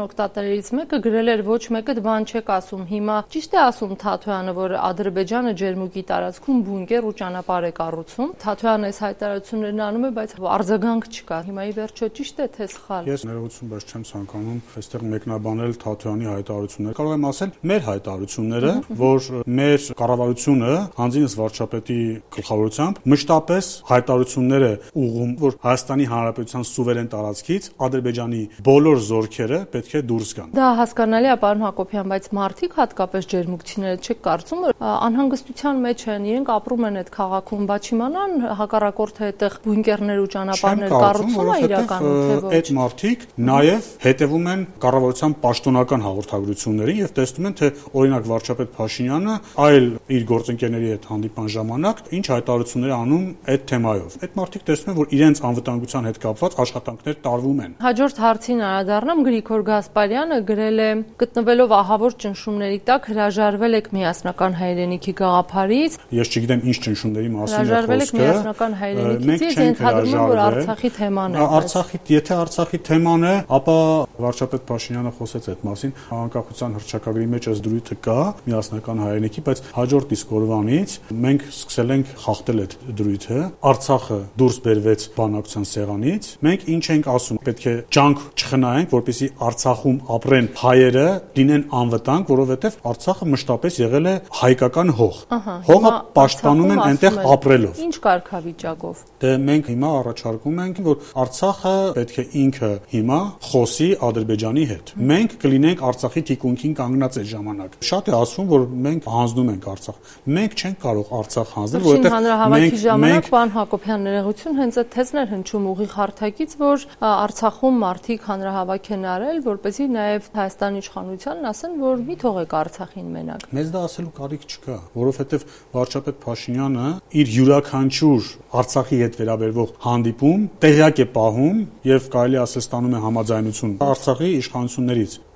Օգտատերերից մեկը գրել էր ոչ մեկը բան չեք ասում։ Հիմա ճիշտ է ասում Թաթոյանը, որ Ադրբեջանը ջերմուկի տարածքում բունկեր ու ճանապարհ է կառուցում։ Թաթոյանը այս հայտարարություններն անում է, բայց արձագանք չկա։ Հիմա ի վերջո ճիշտ է թե սխալ։ Ես ներողություն, բայց չեմ ցանկանում այստեղ մեկնաբանել Թաթոյանի հայտարարությունները։ Կարող եմ ասել մեր հայտարարությունները, որ մեր կառավարությունը հանձինս վարչապետի գլխավորությամբ մշտապես հայտարարություններ է ուղղում, որ Հայաստանի Հանրապետության սուվերեն տարածքից Ադրբեջանի բոլոր զորքերը պետք է դուրս գան։ Դա հասկանալի է, պարոն Հակոբյան, բայց մարդիկ, հատկապես ջերմուկցիները, չեք կարծում, որ անհանգստության մեջ են, իրենք ապրում են այդ քաղաքում, բա չիմանան հակառակորդը այդտեղ բունկերներ ու ճանապարհներ կառուցում է իրականում, թե ոչ։ Այդ մարդիկ նաև հետևում են կառավարության պաշտոնական հաղորդագրություններին եւ տեսնում են, թե օրինակ վարչապետ Փաշինյանը այլ իր գործընկերների հետ հանդիպան ժամանակ ինչ հայտարարություններ անում այդ թեմայով։ Այդ մարդիկ տեսնում են, որ իրենց անվտանգության հետ կապված աշխատանքներ տարվում են։ Հաջորդ հարցին անդրադառնամ, Գրիգոր Գասպարյանը գրել է. գտնվելով ահավոր ճնշումների տակ հրաժարվել եք միասնական հայրենիքի գաղափարից։ Ես չգիտեմ ինչ ճնշումների մասին է խոսքը։ Հրաժարվել եք միասնական հայրենիքից, ես ենթադրում եմ, որ Արցախի թեման է։ Եթե Արցախի թեման է, ապա վարչապետ Փաշինյանը խոսեց այդ մասին։ Անկախության հռչակագրի մեջ այս դրույթը կա միասնական հայրենիքի, բայց հաջորդ իսկ օրվանից մենք սկսել ենք խախտել այդ դրույթը։ Արցախը դուրս բերվեց բանակցության սեղանից։ Մենք ինչ ենք ասում, պետք է ջանք չխնայենք, որպեսզի Արցախում ապրեն հայերը, լինեն անվտանգ, որովհետև Արցախը մշտապես եղել է հայկական հող։ Հողը պաշտպանում են այնտեղ ապրելով։ Ինչ կարգավիճակով։ Դե մենք հիմա առաջարկում ենք, որ Արցախը պետք է ինքը հիմա խոսի Ադրբեջանի հետ։ Մենք կլինենք Արցախի թիկունքին կանգնած այդ ժամանակ։ Շատ է ասվում, որ մենք հանձնում ենք Արցախ։ Մենք չենք կարող Արցախ հանձնել, որովհետև հանրահավաքի ժամանակ պարոն Հակոբյան ներողություն հենց այդ թեզն էր հնչում ուղիղ հարթակից, որ Արցախում մարդիկ հանրահավաք են արել, որպեսզի նաև Հայաստանի իշխանությանն ասեն, որ մի թողեք Արցախին մենակ։ Մեզ դա ասելու կարիք չկա, որովհետև վարչապետ Փաշինյանը իր յուրաքանչյուր Արցախի հետ վերաբերվող հանդիպում տեղյակ է պահում եւ կարելի ասել ստանում է համաձայնություն Արցախի իշխանություններից։